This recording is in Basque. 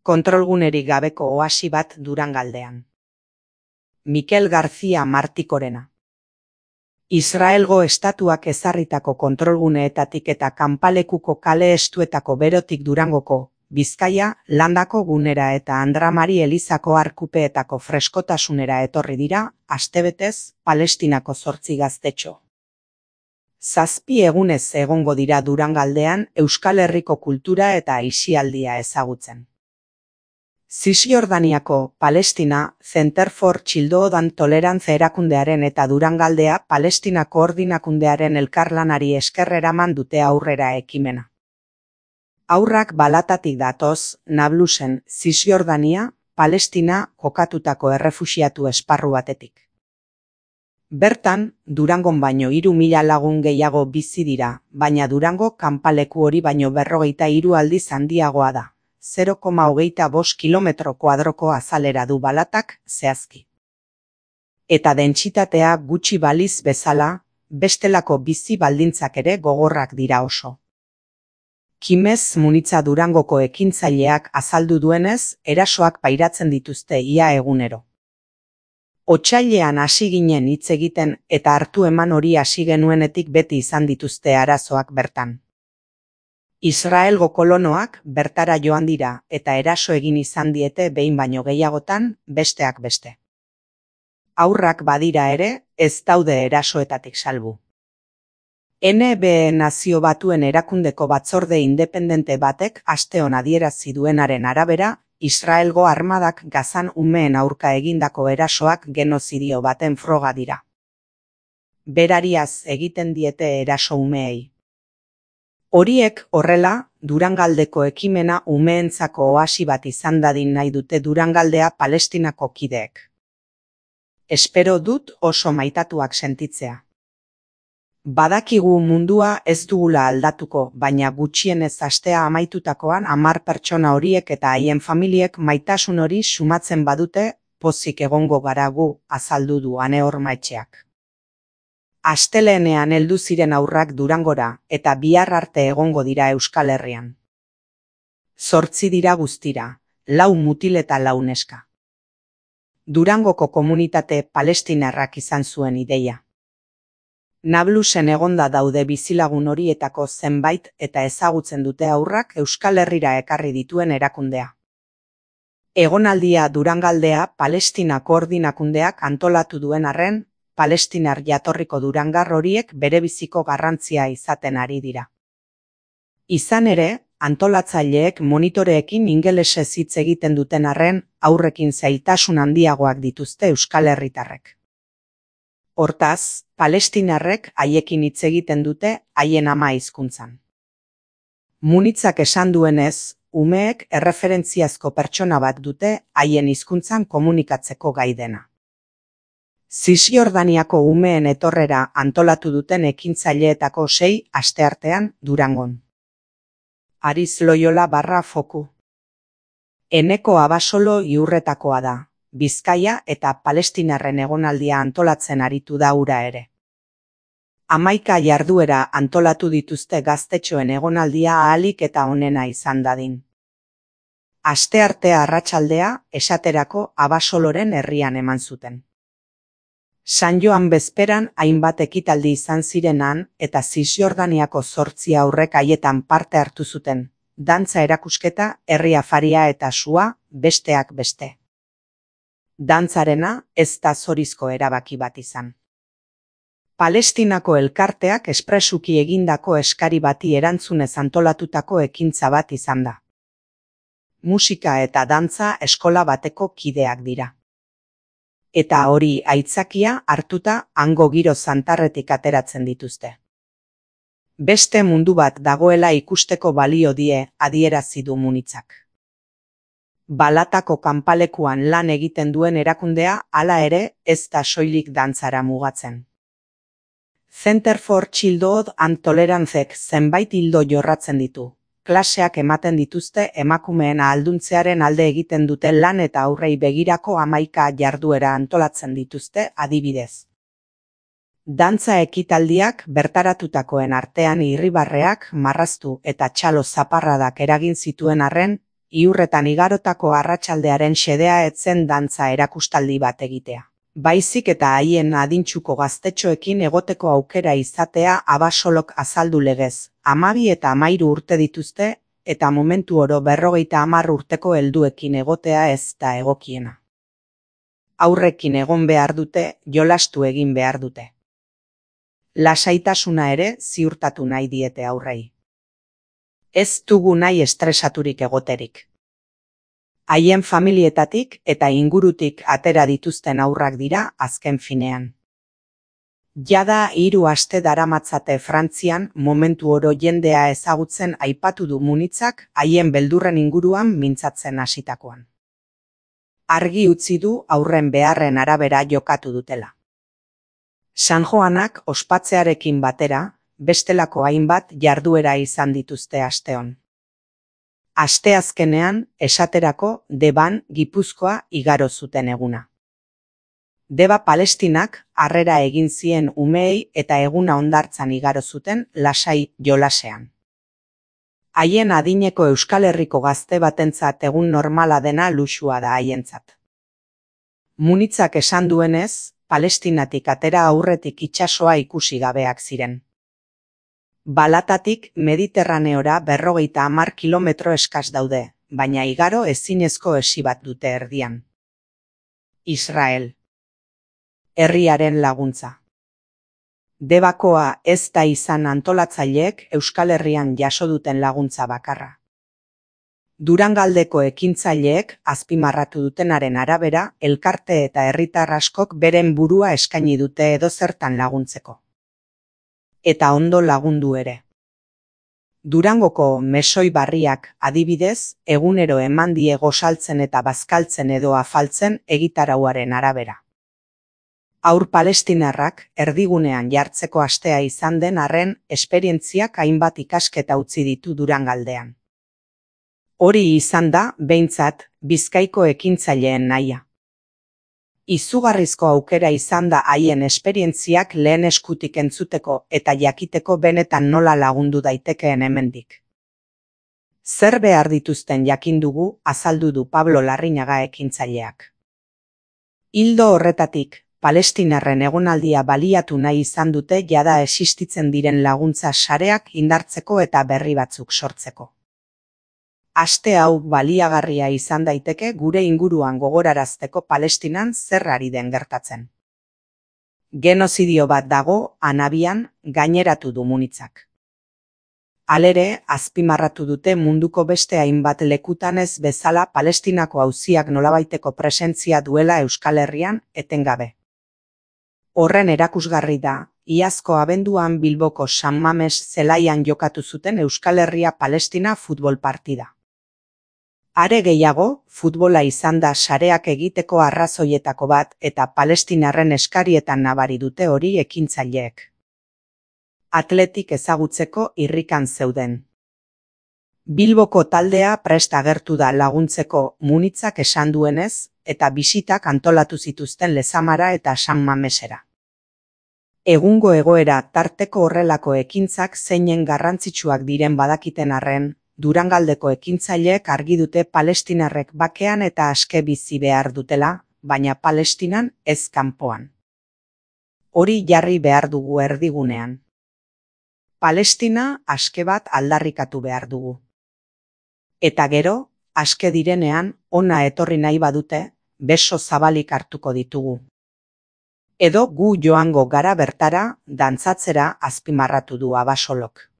Kontrolgunerik gabeko oasi bat Durangaldean. Mikel García Martikorena. Israelgo estatuak ezarritako kontrolguneetatik eta kanpalekuko kale estuetako berotik Durangoko, Bizkaia, Landako gunera eta Andra Mari Elizako arkupeetako freskotasunera etorri dira, astebetez, Palestinako 8 gaztetxo. 7 egunez egongo dira Durangaldean Euskal Herriko kultura eta aisialdia ezagutzen. Zisjordaniako Palestina Center for Childhood Tolerance erakundearen eta Durangaldea Palestina koordinakundearen elkarlanari esker eraman dute aurrera ekimena. Haurrak balatatik datoz, Nablusen, Zisjordania, Palestina kokatutako errefuxiatu esparru batetik. Bertan, Durangon baino 3.000 lagun gehiago bizi dira, baina Durango kanpaleku hori baino 43 aldiz handiagoa da. 0,25 kilometro kuadroko azalera du balatak zehazki. Eta dentsitatea gutxi baliz bezala, bestelako bizi baldintzak ere gogorrak dira oso. Kimez Munitza Durangoko ekintzaileak azaldu duenez, erasoak pairatzen dituzte ia egunero. Otsailean hasi ginen hitz egiten eta hartu eman hori hasi genuenetik beti izan dituzte arazoak bertan. Israelgo kolonoak bertara joan dira eta eraso egin izan diete behin baino gehiagotan, besteak beste. Haurrak badira ere, ez daude erasoetatik salbu. NB Nazio Batuen erakundeko batzorde independente batek asteon adierazi duenaren arabera, Israelgo armadak Gazan umeen aurka egindako erasoak genozidio baten froga dira. Berariaz egiten diete eraso umeei. Horiek horrela, Durangaldeko ekimena umeentzako oasi bat izan dadin nahi dute Durangaldea Palestinako kideek. Espero dut oso maitatuak sentitzea. Badakigu mundua ez dugula aldatuko, baina gutxienez astea amaitutakoan 10 pertsona horiek eta haien familiek maitasun hori sumatzen badute, pozik egongo gara gu, azaldu du Ane Ormaetxeak. Astelehenean heldu ziren haurrak Durangora eta bihar arte egongo dira Euskal Herrian. 8 dira guztira, 4 mutil eta 4 neska. Durangoko komunitate palestinarrak izan zuen ideia. Nablusen egonda daude bizilagun horietako zenbait eta ezagutzen dute haurrak Euskal Herrira ekarri dituen erakundea. Egonaldia Durangaldea Palestina koordinakundeak antolatu duen arren, palestinar jatorriko durangar horiek berebiziko garrantzia izaten ari dira. Izan ere, antolatzaileek monitoreekin ingelesez hitz egiten duten arren, haurrekin zailtasun handiagoak dituzte Euskal Herritarrek. Hortaz, palestinarrek haiekin hitz egiten dute haien ama hizkuntzan. Munitzak esan duenez, umeek erreferentziazko pertsona bat dute haien hizkuntzan komunikatzeko gai dena. Zisjordaniako umeen etorrera antolatu duten ekintzaileetako 6 asteartean Durangon. Ariz Loyola /Foku. Eneko Abasolo Iurretakoa da, Bizkaia eta Palestinarren egonaldia antolatzen aritu da hura ere. 11 jarduera antolatu dituzte gaztetxoen egonaldia ahalik eta onena izan dadin. Asteartea arratsaldea, esaterako Abasoloren herrian eman zuten. San Joan bezperan hainbat ekitaldi izan zirenan eta Zisjordaniako 8 haurrek haietan parte hartu zuten, dantza erakusketa, herri afaria eta sua, besteak beste. Dantzarena ez da zorizko erabaki bat izan. Palestinako elkarteak espresuki egindako eskari bati erantzunez antolatutako ekintza bat izan da. Musika eta dantza eskola bateko kideak dira. Eta hori aitzakia hartuta hango giro zantarretik ateratzen dituzte. Beste mundu bat dagoela ikusteko balio die adierazi du Munitzak. Balatako kanpalekuan lan egiten duen erakundea hala ere ez da soilik dantzara mugatzen. Center for Childhood Tolerancek zenbait ildo jorratzen ditu. Klaseak ematen dituzte emakumeen ahalduntzearen alde egiten dute lan eta aurrei begirako 11 jarduera antolatzen dituzte adibidez. Dantza ekitaldiak bertaratutakoen artean irribarreak, marraztu eta txalo zaparradak eragin zituen arren, iurretan igarotako arratsaldearen xedea etzen dantza erakustaldi bat egitea. Baizik eta haien adintsuko gaztetxoekin egoteko aukera izatea Abasolok azaldu legez. 12 eta 13 urte dituzte, eta momentu oro 50 urteko helduekin egotea ez da egokiena. Aurrekin egon behar dute, jolastu egin behar dute. Lasaitasuna ere ziurtatu nahi diete aurrei. Ez dugu nahi estresaturik egoterik. Haien familietatik eta ingurutik atera dituzten haurrak dira azken finean. Jada 3 aste daramatzate Frantzian momentu oro jendea ezagutzen aipatu du Munitzak haien beldurren inguruan mintzatzen hasitakoan. Argi utzi du aurren beharren arabera jokatu dutela. San Joanak ospatzearekin batera, bestelako hainbat jarduera izan dituzte asteon. Asteazkenean, esaterako, Deban, Gipuzkoa igaro zuten eguna. Deba Palestinak harrera egin zien umeei eta eguna hondartzan igaro zuten lasai jolasean. Haien adineko Euskal Herriko gazte batentzat egun normala dena luxua da haientzat. Munitzak esan duenez, Palestinatik atera aurretik itsasoa ikusi gabeak ziren. Balatatik Mediterraneora 50 kilometro eskas daude, baina igaro ezinezko esi bat dute erdian. Israel. Herriaren laguntza. Debakoa ez da izan antolatzaileek Euskal Herrian jaso duten laguntza bakarra. Durangaldeko ekintzaileek azpimarratu dutenaren arabera, elkarte eta herritar askok beren burua eskaini dute edozertan laguntzeko. Eta ondo lagundu ere. Durangoko mesoi barriak adibidez, egunero eman die gosaltzen eta bazkaltzen edo afaltzen egitarauaren arabera. Haur palestinarrak erdigunean jartzeko astea izan den arren esperientziak hainbat ikasketa utzi ditu Durangaldean. Hori izan da, behintzat, Bizkaiko ekintzaileen nahia. Izugarrizko aukera izan da haien esperientziak lehen eskutik entzuteko eta jakiteko benetan nola lagundu daitekeen hemendik. Zer behar dituzten jakin dugu, azaldu du Pablo Larrinaga ekintzaileak. Ildo horretatik, palestinarren egonaldia baliatu nahi izan dute jada existitzen diren laguntza sareak indartzeko eta berri batzuk sortzeko. Aste hau baliagarria izan daiteke gure inguruan gogorarazteko Palestinan zer ari den gertatzen. Genozidio bat dago, Anabian, gaineratu du Munitzak. Halere, azpimarratu dute munduko beste hainbat lekutan ez bezala Palestinako auziak nolabaiteko presentzia duela Euskal Herrian etengabe. Horren erakusgarri da, iazko abenduan Bilboko San Mames zelaian jokatu zuten Euskal Herria Palestina futbol partida. Are gehiago, futbola izan da sareak egiteko arrazoietako bat eta palestinarren eskarietan nabari dute hori ekintzaileek. Atletik ezagutzeko irrikan zeuden. Bilboko taldea prest agertu da laguntzeko Munitzak esan duenez eta bisitak antolatu zituzten Lezamara eta San Mamesera. Egungo egoera tarteko horrelako ekintzak zeinen garrantzitsuak diren badakiten arren, Durangaldeko ekintzaileek argi dute palestinarrek bakean eta aske bizi behar dutela, baina Palestinan ez kanpoan. Hori jarri behar dugu erdigunean. Palestina aske bat aldarrikatu behar dugu. Eta gero, aske direnean, ona etorri nahi badute, beso zabalik hartuko ditugu. Edo gu joango gara bertara, dantzatzera azpimarratu du Abasolok.